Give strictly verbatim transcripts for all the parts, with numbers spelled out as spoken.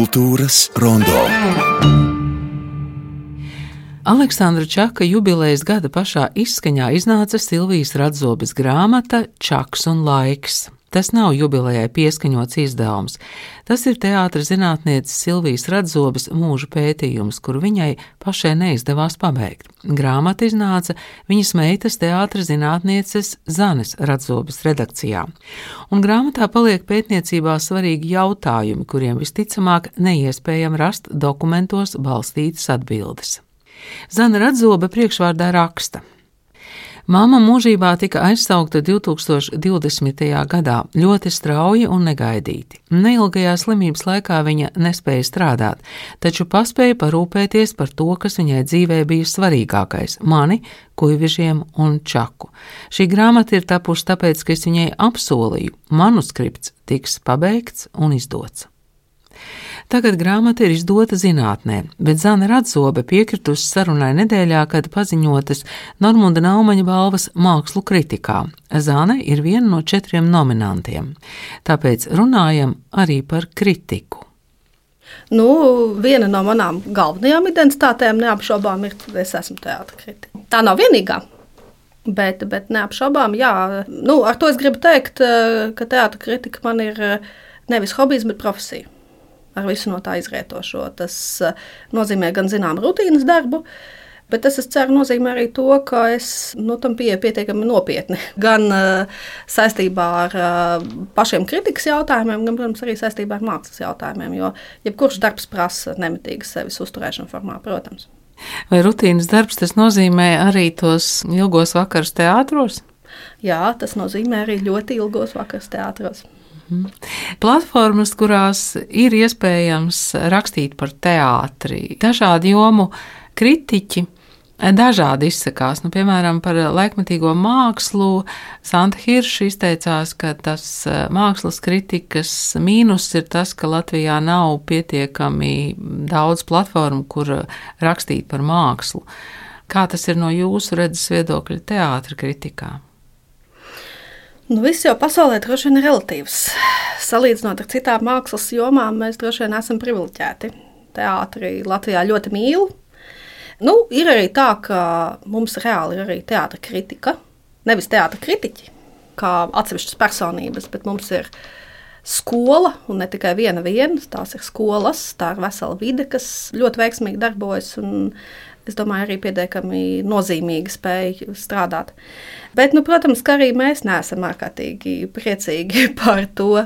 Kultūras rondo. Aleksandra Čaka jubilejas gada pašā izskaņā iznāca Silvijas Radzobes grāmata Čaks un laiks. Tas nav jubilejai pieskaņots izdevums. Tas ir teātra zinātnieces Silvijas Radzobes mūža pētījums, kuru viņai pašai neizdevās pabeigt. Grāmata iznāca viņas meitas teātra zinātnieces Zanes Radzobes redakcijā. Un grāmatā paliek pētniecībā svarīgi jautājumi, kuriem visticamāk neiespējami rast dokumentos balstītas atbildes. Zana Radzobe priekšvārdā raksta. Māma mūžībā tika aizsaukta divtūkstoš divdesmitajā gadā ļoti strauji un negaidīti. Neilgajā slimības laikā viņa nespēja strādāt, taču paspēja parūpēties par to, kas viņai dzīvē bija svarīgākais – mani, Kuivižiem un Čaku. Šī grāmata ir tapusi tāpēc, ka es viņai apsolīju, manuskripts tiks pabeigts un izdots. Tagad grāmata ir izdota zinātnē, bet Zana Radzobe piekritusi sarunai nedēļā, kad paziņotas Normunda Naumaņa balvas mākslu kritikā. Zane ir viena no četriem nominantiem. Tāpēc runājam arī par kritiku. Nu, viena no manām galvenajām identitātēm neapšaubām ir, ka es esmu teātra kritika. Tā nav vienīgā, bet, bet neapšaubām, jā. Nu, ar to es gribu teikt, ka teātra kritika man ir nevis hobijs, bet profesija. Ar visu no tā izrietošo. Tas nozīmē gan zinām rutīnas darbu, bet tas, es ceru, nozīmē arī to, ka es nu, tam pieeju pietiekami nopietni. Gan uh, saistībā ar uh, pašiem kritikas jautājumiem, gan, protams, arī saistībā ar mākslas jautājumiem, jo jebkurš darbs prasa nemitīgas sevis uzturēšanu formā, protams. Vai rutīnas darbs tas nozīmē arī tos ilgos vakarus teātros? Jā, tas nozīmē arī ļoti ilgos vakarus teātros. Platformas, kurās ir iespējams rakstīt par teātri, dažādu jomu kritiķi dažādi izsakās. Nu, piemēram, par laikmetīgo mākslu Santa Hirša izteicās, ka tas mākslas kritikas mīnus ir tas, ka Latvijā nav pietiekami daudz platformu, kur rakstīt par mākslu. Kā tas ir no jūsu redzes viedokļa teātra kritikā? Nu, viss jau pasaulē droši vien ir relatīvs. Salīdzinot ar citām mākslas jomām, mēs droši vien esam privileģēti. Teātri Latvijā ļoti mīl. Nu, ir arī tā, ka mums reāli ir arī teātra kritika. Nevis teātra kritiķi, kā atsevišķas personības, bet mums ir skola, un ne tikai viena viena, tās ir skolas, tā ir vesela vide, kas ļoti veiksmīgi darbojas, un es domāju, arī pietiekami nozīmīgi spēja strādāt. Bet, nu, protams, ka arī mēs neesam ārkārtīgi priecīgi par to,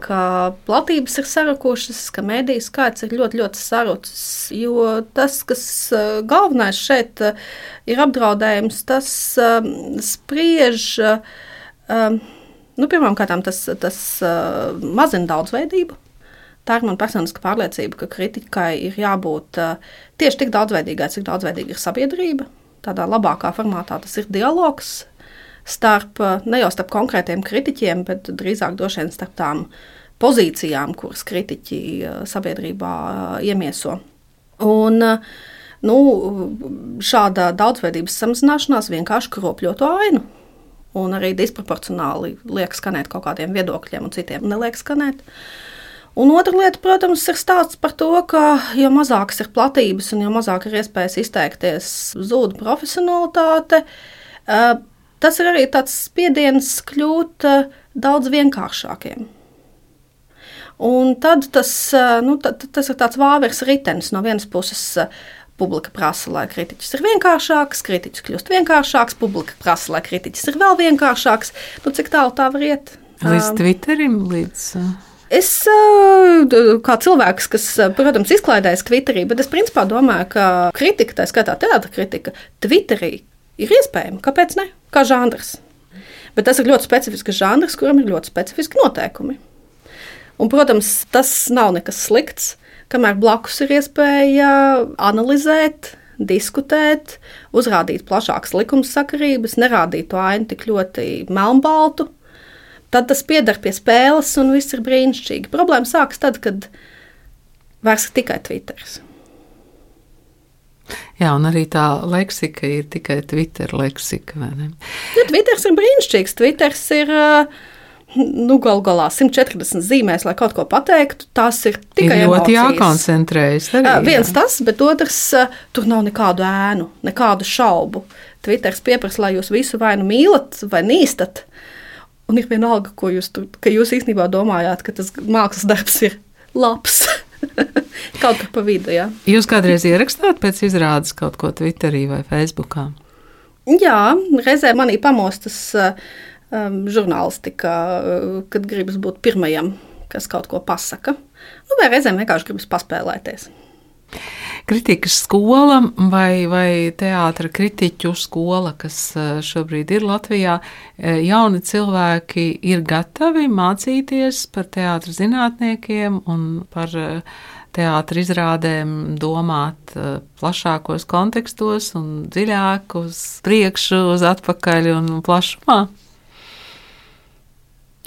ka platības ir sarukušas, ka mediju skaits ir ļoti, ļoti sarucis, jo tas, kas galvenais šeit ir apdraudējums, tas um, spriež, um, nu, pirmām kārtām tas, tas uh, mazina daudzveidību. Tā ir man personiska pārliecība, ka kritikai ir jābūt uh, tieši tik daudzveidīgai, cik daudzveidīga ir sabiedrība. Tādā labākā formātā tas ir dialogs starp, ne jau starp konkrētiem kritiķiem, bet drīzāk droši vien starp tām pozīcijām, kuras kritiķi uh, sabiedrībā uh, iemieso. Un uh, nu, šāda daudzveidības samazināšanās vienkārši kropļo to ainu. Un arī disproporcionāli liek skanēt kaut kādiem viedokļiem un citiem neliek skanēt. Un otra lieta, protams, ir stāsts par to, ka jo mazākas ir platības un jo mazāk ir iespējas izteikties, zūd profesionalitāte. Tas ir arī tāds spiediens kļūt daudz vienkāršākiem. Un tad tas, nu, tad, tas ir tāds vāveres ritenis. No vienas puses publika prasa, lai kritiķis ir vienkāršāks, kritiķis kļūst vienkāršāks, publika prasa, lai kritiķis ir vēl vienkāršāks. Nu, cik tālu tā var iet? Līdz Twitterim, līdz... Es kā cilvēks, kas, protams, izklaidējas Twitterī, bet es principā domāju, ka kritika, tā skaitā teātra kritika, Twitterī ir iespējama. Kāpēc ne? Kā žanrs. Bet tas ir ļoti specifisks žanrs, kuram ir ļoti specifiski noteikumi. Un, protams, tas nav nekas slikts, kamēr blakus ir iespēja analizēt, diskutēt, uzrādīt plašākas likumsakarības, nerādīt to ainu tik ļoti melnbaltu. Tad tas pieder pie spēles un viss ir brīnišķīgi. Problēma sākas tad, kad vairs ir tikai Twitteris. Jā, un arī tā leksika ir tikai Twitter leksika, vai ne? Ja, Twitters ir brīnišķīgs. Twitters ir, Nu, gal galā simt četrdesmit zīmēs, lai kaut ko pateiktu, tas ir tikai ir ļoti emocijas. jākoncentrējas. Arī, Uh, viens jā. tas, bet otrs, uh, tur nav nekādu ēnu, nekādu šaubu. Twitters pieprasa, lai jūs visu vai nu mīlat, vai nīstat. Un ir vienalga, ko jūs, tur, ka jūs īstenībā domājāt, ka tas mākslas darbs ir labs. Kaut kur pa vidu, jā. Jūs kādreiz ierakstāt pēc izrādes kaut ko Twitterī vai Facebookā? Jā, reizē manī pamostas uh, um, žurnālistika, uh, kad gribas būt pirmajam, kas kaut ko pasaka. Nu, vai reizēm vienkārši gribas paspēlēties. Kritikas skola vai, vai teātra kritiķu skola, kas šobrīd ir Latvijā, jauni cilvēki ir gatavi mācīties par teātra zinātniekiem un par teātra izrādēm domāt plašākos kontekstos un dziļāk uz priekšu, uz atpakaļ un plašumā?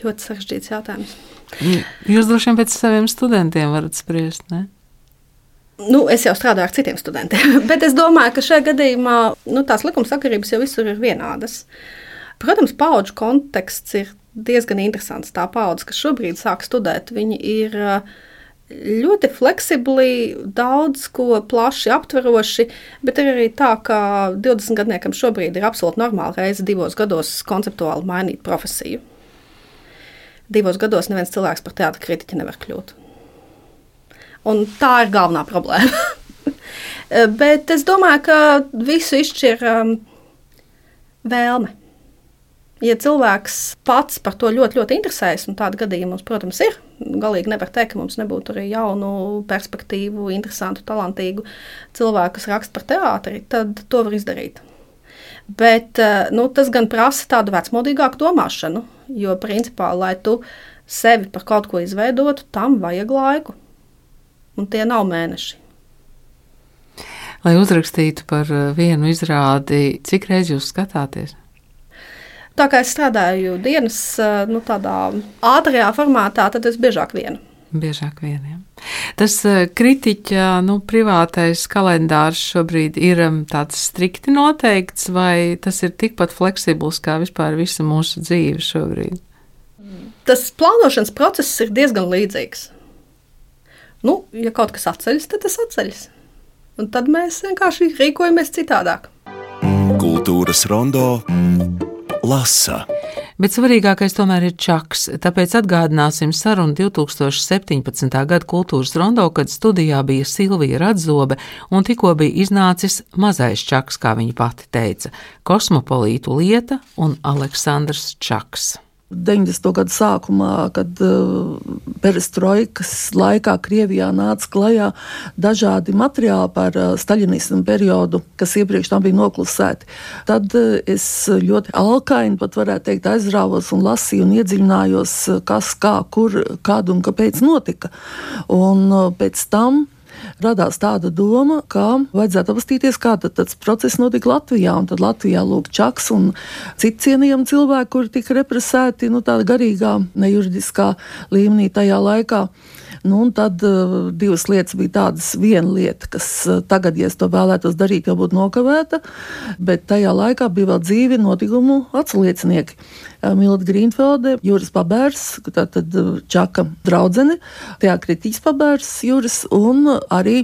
Ļoti sarežģīts jautājums. Jūs droši vien pēc saviem studentiem varat spriest, ne? Nu, es jau strādāju ar citiem studentiem, bet es domāju, ka šajā gadījumā nu, tās likumsakarības jau visur ir vienādas. Protams, paudžu konteksts ir diezgan interesants. Tā paudze, kas šobrīd sāk studēt, viņi ir ļoti fleksibli, daudz ko plaši aptveroši, bet ir arī tā, ka divdesmitgadniekam šobrīd ir absolūti normāli reizi divos gados konceptuāli mainīt profesiju. Divos gados neviens cilvēks par teātra kritiķi nevar kļūt. Un tā ir galvenā problēma. Bet es domāju, ka visu izšķir um, vēlme. Ja cilvēks pats par to ļoti, ļoti interesējas, un tāda gadījuma mums, protams, ir, galīgi nevar teikt, ka mums nebūtu arī jaunu, perspektīvu, interesantu, talantīgu cilvēku, kas raksta par teātri, tad to var izdarīt. Bet nu, tas gan prasa tādu vecmodīgāku domāšanu, jo principā, lai tu sevi par kaut ko izveidotu, tam vajag laiku. Un tie nav mēneši. Lai uzrakstītu par vienu izrādi, cik reiz jūs skatāties? Tā kā es strādāju dienas nu, tādā ātrajā formātā, tad es biežāk vienu. Biežāk vieniem. Tas kritiķa nu, privātais kalendārs šobrīd ir tāds strikti noteikts, vai tas ir tikpat fleksibls kā vispār visa mūsu dzīve šobrīd? Tas plānošanas process ir diezgan līdzīgs. Nu, ja kaut kas atceļas, tad tas atceļas. Un tad mēs vienkārši rīkojamies citādāk. Kultūras rondo lasa. Bet svarīgākais tomēr ir čaks, tāpēc atgādināsim sarunu divi tūkstoši septiņpadsmitā gada kultūras rondo, kad studijā bija Silvija Radzobe un tikko bija iznācis mazais čaks, kā viņa pati teica, Kosmopolītu lieta un Aleksandrs Čaks. deviņdesmito gadu sākumā, kad uh, perestroikas laikā Krievijā nāca klajā dažādi materiāli par uh, staļinismu periodu, kas iepriekš tam bija noklusēti. Tad uh, es ļoti alkaini, pat varētu teikt, aizrāvos un lasīju un iedziļinājos, kas, kā, kur, kad un kāpēc notika. Un uh, pēc tam radās tāda doma, ka vajadzētu apstīties, kā tad tas process notika Latvijā. Un tad Latvijā lūk Čaks un citi cienījami cilvēki, kuri tika represēti nu, tādā garīgā, nejuridiskā līmenī tajā laikā. Nu, un tad uh, divas lietas bija tādas. Viena lieta, kas uh, tagad, ja es to vēlētos darīt, jau būtu nokavēta, bet tajā laikā bija vēl dzīvi notikumu atsliecinieki. Uh, Milda Grīnfelde, Juris Pabērs, tātad uh, Čaka draudzene, teākritiķis Pabērs, Juris, un uh, arī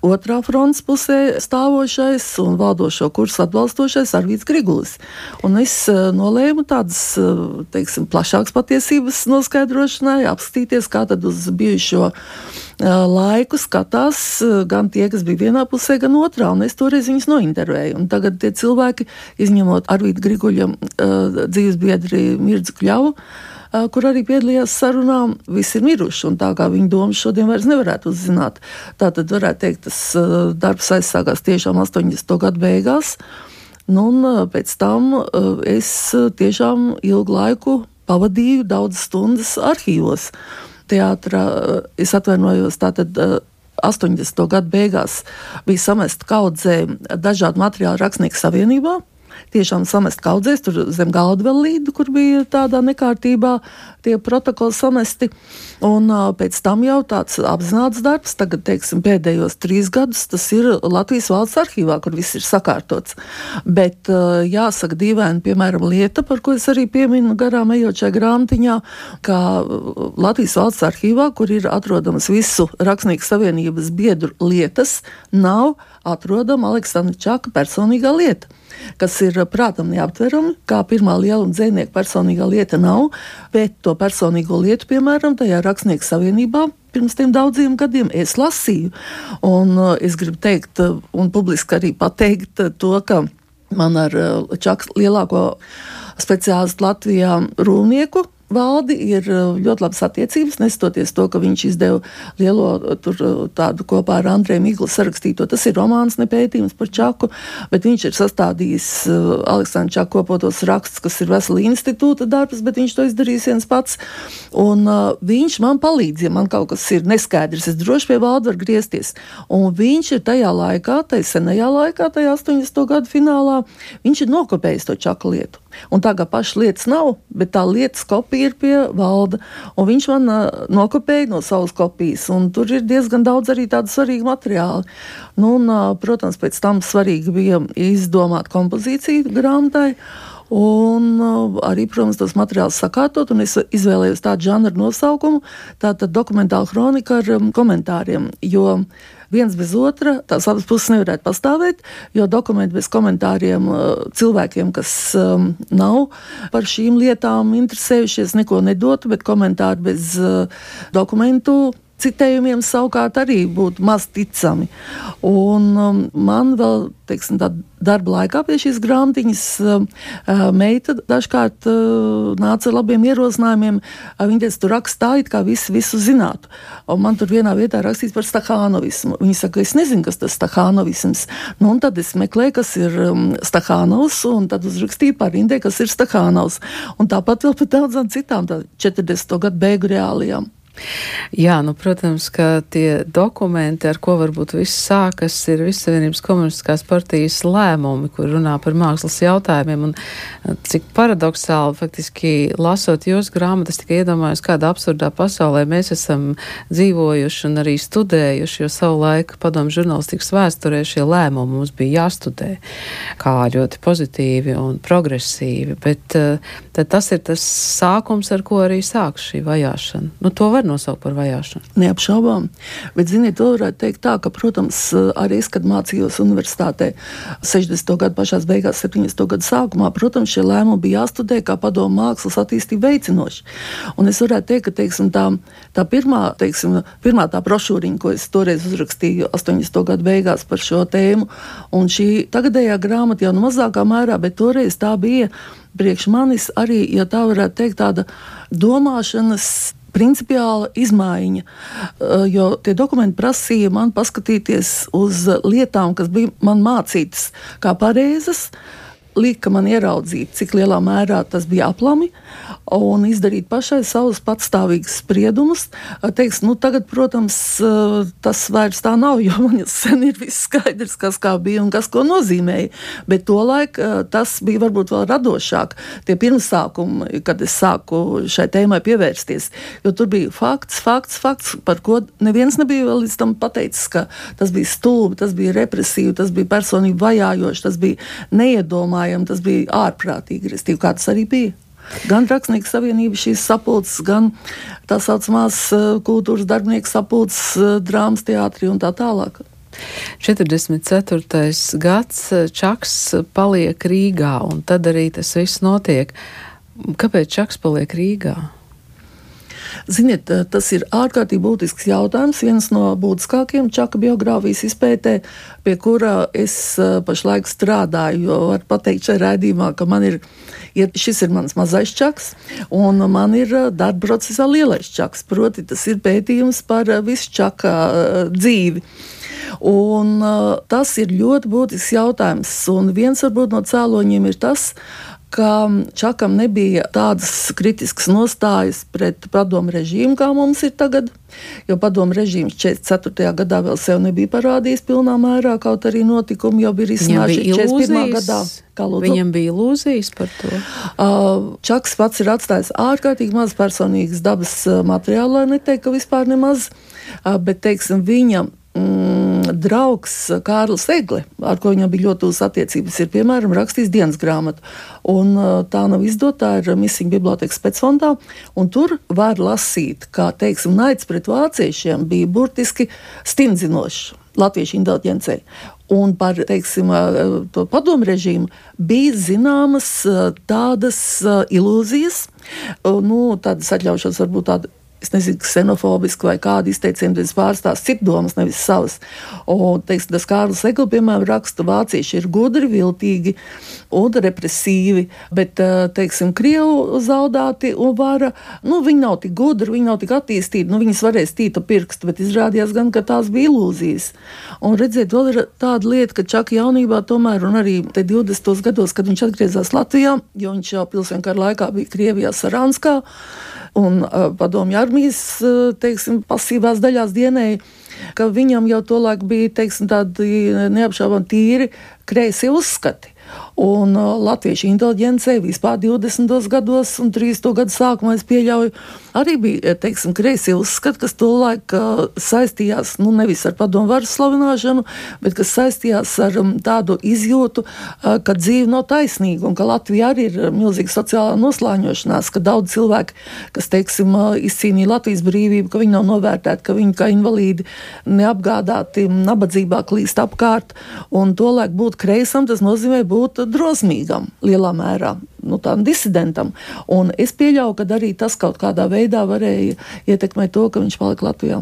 otrā frontes pusē stāvošais un valdošo kursu atbalstošais Arvīds Grigulis. Un es uh, nolēmu tādas, uh, teiksim, plašākas patiesības noskaidrošanai, apskatīties, kā tad uz bijušo laiku skatās gan tie, kas bija vienā pusē, gan otrā, un es toreiz viņus nointervēju. Un tagad tie cilvēki, izņemot Arvīda Griguļa dzīves biedri Mirdzu Kļavu, kur arī piedalījās sarunā, visi ir miruši, un tā kā viņa domas šodien vairs nevarētu uzzināt. Tātad varētu teikt, tas darbs aizsākās tiešām astoņdesmito gadu beigās, nu, un pēc tam es tiešām ilgu laiku pavadīju daudz stundas arhīvos. Teātrā, es atvainojos, tātad astoņdesmito gadu beigās bija samesta kaudzē dažādu materiālu Rakstnieku savienībā, tiešām samest kaudzēs, tur zem galda vēl līdu, kur bija tādā nekārtībā tie protokoli samesti. Un uh, pēc tam jau tāds apzināts darbs, tagad, teiksim, pēdējos trīs gadus, tas ir Latvijas valsts arhīvā, kur viss ir sakārtots. Bet uh, jāsaka dīvaini, piemēram, lieta, par ko es arī pieminu garām ejot šajā grāmatiņā, ka Latvijas valsts arhīvā, kur ir atrodamas visu Rakstnieku savienības biedru lietas, nav atrodama Aleksandra Čaka personīgā lieta, kas ir prātam neaptverami, kā pirmā lieluma dzejnieka personīgā lieta nav, bet to personīgo lietu, piemēram, tajā Rakstnieku savienībā pirms tiem daudziem gadiem es lasīju. Un uh, es gribu teikt uh, un publiski arī pateikt uh, to, ka man ar uh, Čakas lielāko speciālistu Latvijā Rūnieku valdi ir ļoti labas attiecības, nestoties to, ka viņš izdeva lielo tur tādu kopā ar Andreju Miglu sarakstīto. Tas ir romāns, ne pētījums par Čaku, bet viņš ir sastādījis Aleksandra Čaka kopotos rakstus, kas ir vesela institūta darbs, bet viņš to izdarījis viens pats. Un uh, viņš man palīdz, ja man kaut kas ir neskaidrs, es droši pie valda var griezties. Un viņš ir tajā laikā, tajā senajā laikā, tajā astoņdesmito gadu finālā, viņš ir nokopējis to Čaka lietu. Un tā kā pašas lietas nav, bet tā lietas kopija ir pie valda, un viņš man uh, nokopēja no savas kopijas, un tur ir diezgan daudz arī tādu svarīgu materiālu. Nu, un, uh, protams, pēc tam svarīgi bija izdomāt kompozīciju grāmatai, un uh, arī, protams, tos materiālus sakārtot, un es izvēlējos tādu žanru nosaukumu, tātad dokumentāla kronika ar um, komentāriem, jo viens bez otra, tās abas puses nevarētu pastāvēt, jo dokumenti bez komentāriem cilvēkiem, kas um, nav par šīm lietām interesējušies, neko nedotu, bet komentāri bez uh, dokumentu citējumiem savukārt arī būtu maz ticami. Un um, man vēl, teiksim, tā darba laikā pie šīs grāmatiņas uh, meita dažkārt uh, nāca ar labiem ierosinājumiem. Uh, viņa teica, tu rakst tā, it kā visi visu zinātu. Un man tur vienā vietā rakstīts par Stakhanovismu. Viņa saka, es nezinu, kas tas Stakhanovisms. Nu, un tad es meklēju, kas ir um, Stakhanovs, un tad uzrakstīju par Indē, kas ir Stakhanovs. Un tāpat vēl par daudzām citām tā četrdesmito gadu beigu reālijām. Jā, nu, protams, ka tie dokumenti, ar ko varbūt viss sākas, ir Vissavienības komunistiskās partijas lēmumi, kur runā par mākslas jautājumiem, un cik paradoxāli, faktiski, lasot jūsu grāmatas, tikai iedomājos, kādā absurdā pasaulē mēs esam dzīvojuši un arī studējuši, jo savu laiku padomu žurnālistikas vēsturē šie lēmumi mums bija jāstudē, kā ļoti pozitīvi un progresīvi, bet tad tas ir tas sākums, ar ko arī sāks šī vajāšana. Nu, to var nosaukt par vajāšanu. Neapšaubām. Bet, ziniet, to varētu teikt tā, ka, protams, arī es, kad mācījos universitātē sešdesmito gadu pašās beigās, septiņdesmito gadu sākumā, protams, šie lēmumi bija jāstudē kā padomu mākslas attīstību veicinoši. Un es varētu teikt, ka, teiksim, tā, tā pirmā, teiksim, pirmā tā brošūriņa, ko es toreiz uzrakstīju astoņdesmito gadu beigās par šo tēmu, un šī tagadējā grāmata jau nu mazākā mērā, bet toreiz tā bija priekš manis arī, ja tā varētu teikt, tāda domāšanas principiāla izmaiņa, jo tie dokumenti prasīja man paskatīties uz lietām, kas bija man mācītas kā pareizas, lika man ieraudzīt, cik lielā mērā tas bija aplami, un izdarīt pašai savus patstāvīgus spriedumus. Teiks, nu tagad, protams, tas vairs tā nav, jo man jau sen ir viss skaidrs, kas kā bija un kas ko nozīmēja, bet tolaik tas bija varbūt vēl radošāk. Tie pirmsākumi, kad es sāku šai tēmai pievērsties, jo tur bija fakts, fakts, fakts, par ko neviens nebija vēl līdz tam pateicis, ka tas bija stulbi, tas bija represīvi, tas bija personīgi vajājoši, tas bija neiedomājami, tas bija ārprātīgi, restīvi, kā tas arī bija. Gan Rakstnieku savienība šīs sapulces, gan tā saucamās kultūras darbinieku sapulces, drāmas teātri un tā tālāk. četrdesmit ceturtais gads, Čaks paliek Rīgā, un tad arī tas viss notiek. Kāpēc Čaks paliek Rīgā? Ziniet, tas ir ārkārtīgi būtisks jautājums, viens no būtiskākiem Čaka biogrāfijas izpētē, pie kura es pašlaik strādāju, jo var pateikt šajā raidījumā, ka man ir, ja šis ir mans mazais Čaks, un man ir darba procesā lielais Čaks, proti tas ir pētījums par visu Čaka dzīvi. Un tas ir ļoti būtisks jautājums, un viens varbūt no cēloņiem ir tas, ka Čakam nebija tādas kritiskas nostājas pret padomu režīmu, kā mums ir tagad, jo padomu režīms četrdesmit ceturtajā gadā vēl sev nebija parādījis pilnā mērā, kaut arī notikumi jau bija izsnājuši četrdesmit pirmā gadā. Viņam bija ilūzijas par to? Uh, Čaks pats ir atstājis ārkārtīgi maz personīgas dabas materiālu, lai neteikt, ka vispār nemaz, uh, bet, teiksim, viņa mm, draugs Kārlis Egle, ar ko viņam bija ļoti tūs attiecības, ir, piemēram, rakstījis dienas grāmatu. Un uh, tā nav izdota, tā ir Missing bibliotēkas specfondā, un tur var lasīt, kā, teiksim, naids pret vāciešiem bija burtiski stingzinošs latviešu inteliģencei. Un par, teiksim, to padomu režīmu bija zināmas tādas ilūzijas, nu, tādas atļaušos varbūt tāda, es nezinu, ksenofobiski vai kādi izteicieni, tas pārstās citu domas, nevis savas. Un, teiksim, tas Kārlis Egli, piemēram, raksta, vācieši ir gudri, viltīgi un represīvi, bet, teiksim, Krievu zaudāti un vara, nu, viņi nav tik gudri, viņi nav tik attīstīti, nu, viņas varēs tīta pirkstu, bet izrādījās gan, ka tās bija ilūzijas. Un redziet, vēl ir tāda lieta, ka Čaka jaunībā tomēr, un arī te divdesmitos gados, kad viņš atgriezās Latvijā, jo viņš jau pilsienkara laikā bija Krievijā Saranskā, un uh, padomju armijas, uh, teiksim, pasīvās daļās dienēja, ka viņam jau tolaik bija, teiksim, tādi neapšaubām tīri kreisi uzskati. Un uh, latviešu inteliģencei vispār divdesmitos gados un trīsdesmito gadu sākumā, es pieļauju, arī bija, teiksim, kreisi uzskati, kas tolaik uh, saistījās, nu, nevis ar padomu varas slavināšanu, bet kas saistījās ar um, tādu izjūtu, uh, ka dzīve nav taisnīga un ka Latvija arī ir milzīga sociālā noslāņošanās, ka daudz cilvēki, kas, teiksim, uh, izcīnīja Latvijas brīvību, ka viņi nav novērtēti, ka viņi kā invalīdi neapgādāti, nabadzībā klīst apkārt, un tolaik būt kreisam, tas nozīmē būt drosmīgam lielā mērā, nu tādam disidentam. Un es pieļauju, ka arī tas kaut kādā veidā varēja ietekmēt to, ka viņš palika Latvijā.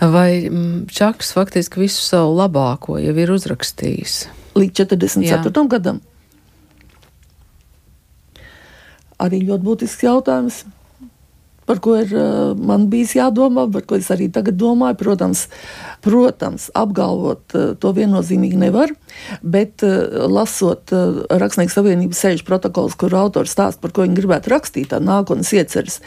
Vai Čaks faktiski visu savu labāko jau ir uzrakstījis? Līdz četrdesmit ceturtajam gadam. Arī ļoti būtisks jautājums, par ko ir uh, man bijis jādomā, par ko es arī tagad domāju. Protams, protams apgalvot uh, to viennozīmīgi nevar, bet uh, lasot uh, Rakstnieku savienības sēžu protokols, kur autors stāst, par ko viņi gribētu rakstīt, tā nākotnes ieceres.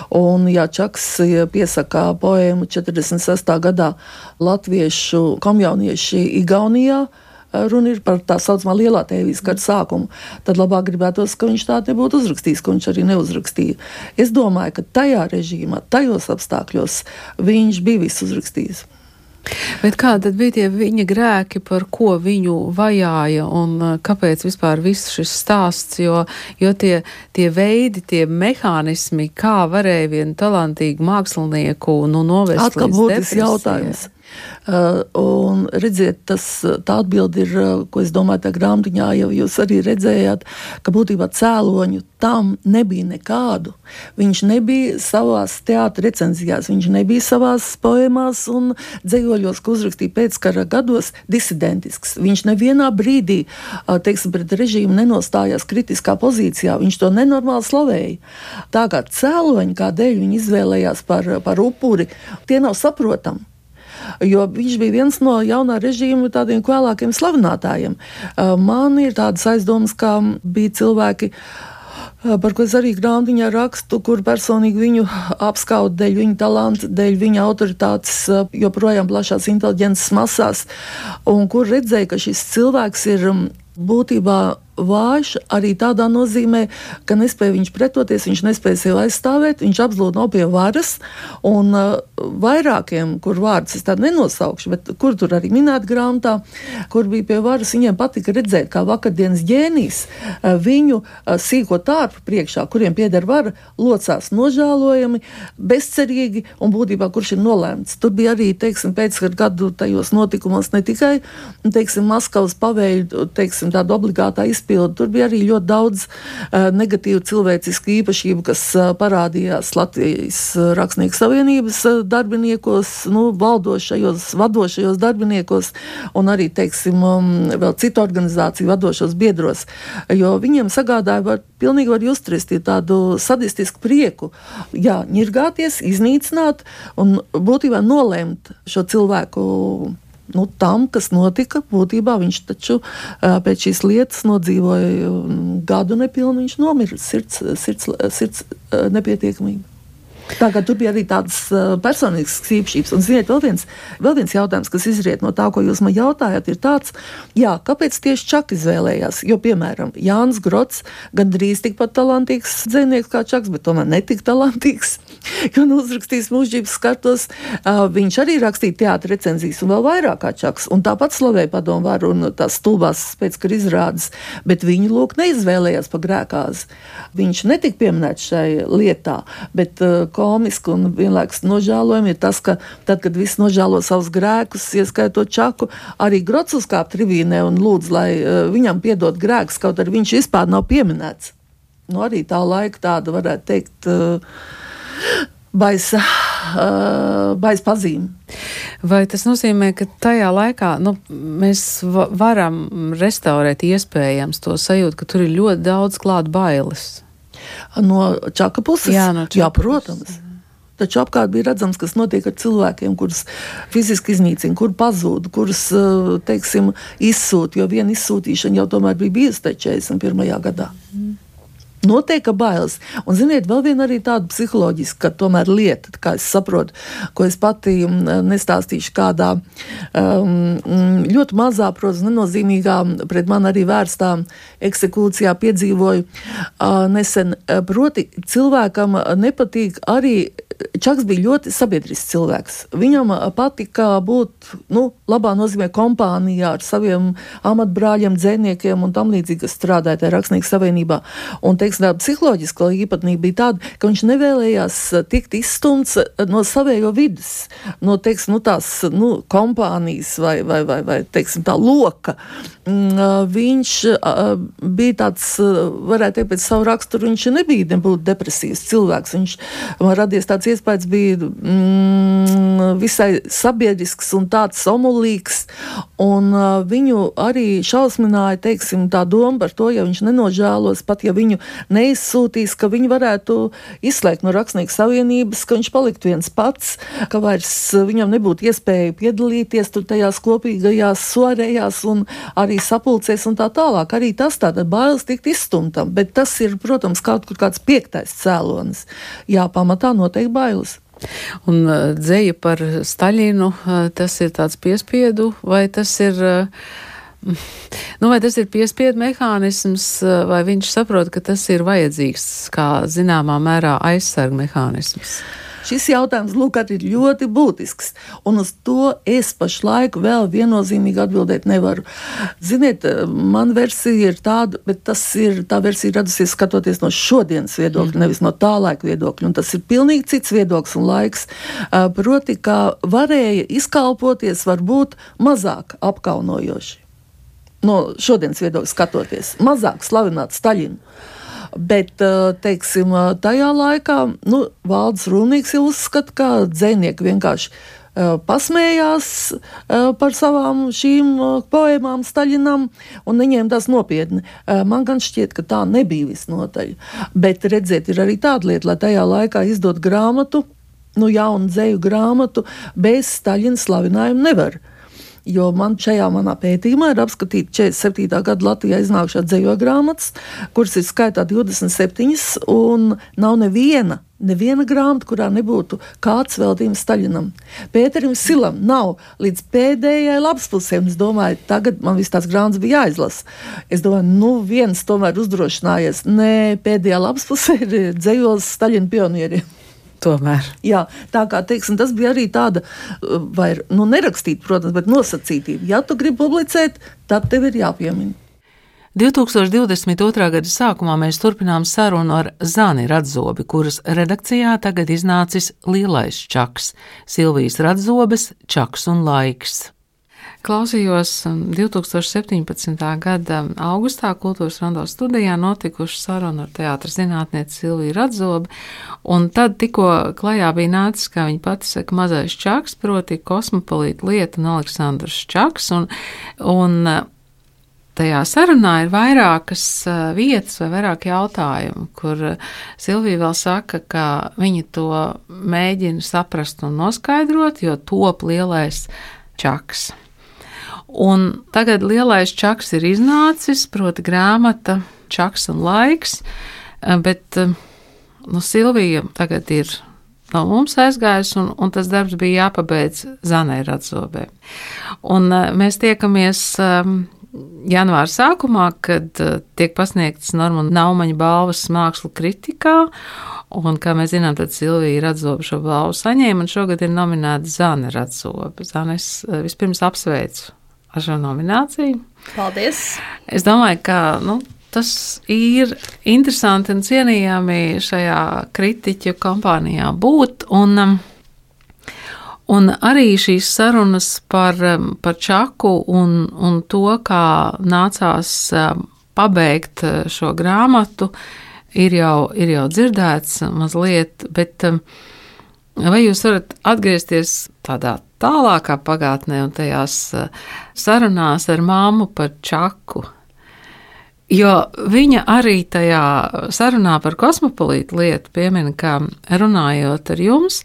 Un, ja Čaks piesaka poēmu četrdesmit sestā gadā latviešu komjaunieši Igaunijā, runa ir par tā saucamā lielā tēvijas kara sākumu, tad labāk gribētos, ka viņš tā nebūtu uzrakstījis, ko viņš arī neuzrakstīja. Es domāju, ka tajā režīmā, tajos apstākļos viņš bija visu uzrakstījis. Bet kādi tad bija tie viņa grēki, par ko viņu vajāja un kāpēc vispār viss šis stāsts, jo, jo tie, tie veidi, tie mehānismi, kā varēja vienu talantīgu mākslinieku nu, novest Atkal līdz depresijai? Jautājums. Uh, un redziet, tas, tā atbildi ir, uh, ko es domāju, tā grāmatiņā jau jūs arī redzējāt, ka būtībā cēloņu tam nebija nekādu. Viņš nebija savās teātra recenzijās, viņš nebija savās poēmās un dzejoļos, ko uzrakstīja pēckara gados, disidentisks. Viņš nevienā brīdī, uh, teiksim, pret režīmu nenostājās kritiskā pozīcijā, viņš to nenormāli slavēja. Tā kā cēloņi, kādēļ viņi izvēlējās par, par upuri, tie nav saprotami. Jo viņš bija viens no jaunā režīma tādiem vēlākiem slavinātājiem. Man ir tādas aizdomas, kā bija cilvēki, par ko es arī grāmatiņā rakstu, kur personīgi viņu apskauda dēļ viņa talanta, dēļ viņa autoritātes joprojām plašās inteliģences masās, un kur redzēja, ka šis cilvēks ir būtībā vājš arī tādā nozīmē, ka nespēja viņš pretoties, viņš nespēja sev aizstāvēt, viņš absolūti nav pie varas, un uh, vairākiem, kur vārdus es tādu nenosaukšu, bet kur tur arī minēt grāmatā, kur bija pie varas, viņiem patika redzēt, kā vakardienas ģēnijs uh, viņu uh, sīko tārpu priekšā, kuriem pieder vara, locās nožēlojami, bezcerīgi, un būtībā kurš ir nolēmts. Tur bija arī, teiksim, pēc gadu tajos notikumos ne tikai, teiksim, Maskavas pavēļu, teiksim, tāda obligātā izpildu. Tur bija arī ļoti daudz uh, negatīvu cilvēcisku īpašību, kas uh, parādījās Latvijas uh, Rakstnieku savienības uh, darbiniekos, nu, valdošajos, vadošajos darbiniekos un arī, teiksim, um, vēl citu organizāciju vadošos biedros, jo viņiem sagādāja, var, pilnīgi var justrist tādu sadistisku prieku, jā, ņirgāties, iznīcināt un būtībā nolēmt šo cilvēku nu, tam, kas notika. Būtībā viņš taču pēc šīs lietas nodzīvoja gadu nepilnu, viņš nomira sirds, sirds, sirds nepietiekamība. Tā kā tur bija arī tādas uh, personīgas īpašības. Un, ziniet, vēl viens, vēl viens jautājums, kas izriet no tā, ko jūs man jautājat, ir tāds, jā, kāpēc tieši Čaka izvēlējās? Jo, piemēram, Jānis Grots gandrīz tikpat talantīgs dzejnieks kā Čaks, bet tomēr netik talantīgs, jo nu uzrakstījis mūžības skartos. Uh, viņš arī rakstīja teātra recenzijas un vēl vairāk kā Čaks. Un tāpat slavēja Padomu varu un tās stulbās pēckara izrādes, bet viņu lūk neizvēlējās pa grēkāzi. Viņš netika pieminēts šai lietā, bet uh, komiski un vienlaikus nožēlojami ir tas, ka tad, kad viss nožēlo savus grēkus, ieskaitot Čaku, arī Grots uzkāp tribīnē un lūdz, lai uh, viņam piedod grēkus, kaut arī viņš vispār nav pieminēts. Nu, arī tā laika tāda, varētu teikt, uh, baisa, uh, baisa pazīme. Vai tas nozīmē, ka tajā laikā nu, mēs va- varam restaurēt iespējams to sajūtu, ka tur ir ļoti daudz klāt bailes? No Čaka puses? Jā, no Čaka Jā, protams. Puses. Taču apkārt bija redzams, kas notiek ar cilvēkiem, kurus fiziski iznīcina, kur pazūd, kurus, teiksim, izsūt, jo viena izsūtīšana jau tomēr bija bijusi četrdesmit pirmajā gadā. Mm. Notiek bailes. Un, ziniet, vēl viena arī tāda psiholoģiska, ka tomēr lieta, kā es saprotu, ko es pati nestāstīšu kādā um, ļoti mazā, protams, nenozīmīgā, pret man arī vērstā eksekūcijā piedzīvoju uh, nesen. Proti, cilvēkam nepatīk arī, Čaks bija ļoti sabiedrisks cilvēks. Viņam patika būt, nu, labā nozīmē kompānijā ar saviem amatbrāļiem, dzejniekiem un tam līdzīgi, kas strādāja tajā Rakstnieku savienībā. Un, teiksim, tā psiholoģiskā īpatnība bija tāda, ka viņš nevēlējās tikt izstumts no savējo vidas, no, teiksim, nu, tās, nu, kompānijas vai, vai, vai, vai, teiksim, tā loka. Viņš bija tāds, varētu teikt, pēc savu raksturu, viņš nebija nebūt depresīvs cilvēks. Viņš man radies tāds iespējas, bija mm, visai sabiedrisks un tāds omulīgs, un uh, viņu arī šausmināja, teiksim, tā doma par to, ja viņš nenožēlos, pat ja viņu neizsūtīs, ka viņu varētu izslēgt no Rakstnieku savienības, ka viņš paliktu viens pats, ka vairs viņam nebūtu iespēja piedalīties tur tajās kopīgajās soarējās un arī sapulcēs un tā tālāk. Arī tas tāda bailes tikt izstumtam, bet tas ir, protams, kaut kur kāds piektais cēlonis. Jā, pamatā noteikti bailes. Un uh, dzeja par Staļinu, uh, tas ir tāds piespiedu, vai tas ir, uh, nu, vai tas ir piespiedu mehānisms, uh, vai viņš saprot, ka tas ir vajadzīgs kā zināmā mērā aizsarga mehānisms? Šis jautājums, lūk, arī ir ļoti būtisks, un uz to es pašlaik vēl viennozīmīgi atbildēt nevaru. Ziniet, man versija ir tāda, bet tas ir, tā versija radusies skatoties no šodienas viedokļa, mm. nevis no tā laika viedokļa, un tas ir pilnīgi cits viedoklis un laiks. Proti, ka varēja izkalpoties varbūt mazāk apkaunojoši. No šodienas viedokļa skatoties, mazāk slavināt Staļinu. Bet, teiksim, tajā laikā, nu, Valdis Rūnīgs jau uzskata, ka dzejnieki vienkārši uh, pasmējās uh, par savām šīm uh, poēmām Staļinam un neņēma tās nopietni. Uh, man gan šķiet, ka tā nebija visnotaļ. Bet, redziet, ir arī tāda lieta, lai tajā laikā izdot grāmatu, nu, jaunu dzeju grāmatu, bez Staļina slavinājuma nevar. Jo man šajā manā pētījumā ir apskatīta četrdesmit septītā gada Latvijā iznākušā dzejo grāmatas, kuras ir skaitā divdesmit septiņas, un nav neviena, neviena grāmata, kurā nebūtu kāds veltījums Staļinam. Pēterim Silam nav līdz pēdējai lapspusē, un es domāju, tagad man viss tās grāmatas bija jāizlasa. Es domāju, nu viens tomēr uzdrošinājies, nē, pēdējā lapspusē ir dzejos Staļina pionieriem. Tomēr. Jā, tā kā, teiksim, tas bija arī tāda, vai, nu, nerakstīt, protams, bet nosacītība. Ja tu gribi publicēt, tad tev ir jāpiemina. divtūkstoš divdesmit otrā gada sākumā mēs turpinām sarunu ar Zani Radzobi, kuras redakcijā tagad iznācis Lielais Čaks, Silvijas Radzobes Čaks un laiks. Klausījos divtūkstoš septiņpadsmitā gada augustā Kultūras Rondo studijā notikušu sarunu ar teātra zinātnieci Silviju Radzobi, un tad tikko klajā bija nācis, kā viņa pati saka, mazais Čaks, proti Kosmopolīta Lieta un Aleksandrs Čaks, un, un tajā sarunā ir vairākas vietas vai vairāk jautājumu, kur Silvija vēl saka, ka viņa to mēģina saprast un noskaidrot, jo top Lielais Čaks. Un tagad lielais čaks ir iznācis, proti grāmata Čaks un laiks, bet nu, Silvija tagad ir no mums aizgājusi, un, un tas darbs bija jāpabeidz Zanai Radzobē. Un mēs tiekamies janvāra sākumā, kad tiek pasniegtas Normunda Naumaņa balvas mākslu kritikā, un, kā mēs zinām, tad Silvija Radzobe šo balvu saņēma, un šogad ir nominēta Zane Radzobe. Zane, es vispirms apsveicu ar šo nomināciju. Paldies! Es domāju, ka nu, tas ir interesanti un cienījami šajā kritiķu kompānijā būt, un, un arī šīs sarunas par, par Čaku un, un to, kā nācās pabeigt šo grāmatu, ir jau, ir jau dzirdēts mazliet, bet vai jūs varat atgriezties tādā tālākā pagātnē un tajās sarunās ar māmu par Čaku? Jo viņa arī tajā sarunā par kosmopolītu lietu piemina, ka runājot ar jums,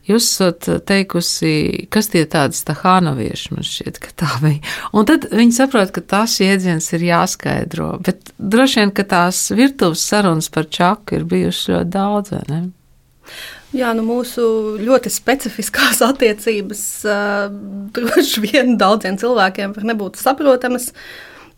jūs esat teikusi, kas tie tādi stahānovieši, man šķiet, ka tā bija. Un tad viņi saprot, ka tās jēdziens ir jāskaidro, bet droši vien, ka tās virtuves sarunas par Čaku ir bijušas ļoti daudz, vai ne? Jā, nu mūsu ļoti specifiskās attiecības uh, droši vien daudziem cilvēkiem var nebūt saprotamas.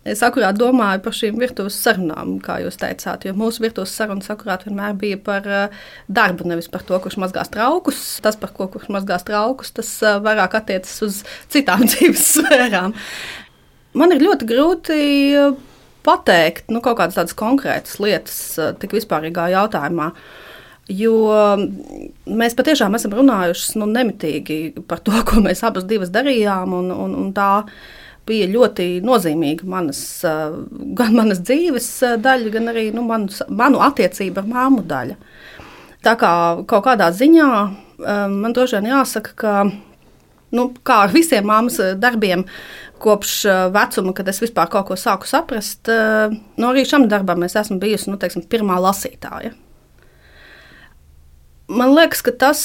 Es akurāt domāju par šīm virtuves sarunām, kā jūs teicāt, jo mūsu virtuves sarunas akurāt vienmēr bija par uh, darbu, nevis par to, kurš mazgās traukus. Tas, par ko kurš mazgās traukus, tas uh, vairāk attiecas uz citām dzīves sfērām. Man ir ļoti grūti pateikt nu, kaut kādas tādas konkrētas lietas uh, tik vispārīgā jautājumā. Jo mēs patiešām esam runājuši nu, nemitīgi par to, ko mēs abas divas darījām, un, un, un tā bija ļoti nozīmīga manas, gan manas dzīves daļa, gan arī nu, manu, manu attiecību ar māmu daļa. Tā kā kaut kādā ziņā man droši vien jāsaka, ka nu, kā ar visiem māmas darbiem, kopš vecuma, kad es vispār kaut ko sāku saprast, nu, arī šam darbam es esmu bijusi nu, teiksim, pirmā lasītāja. Man liekas, ka tas,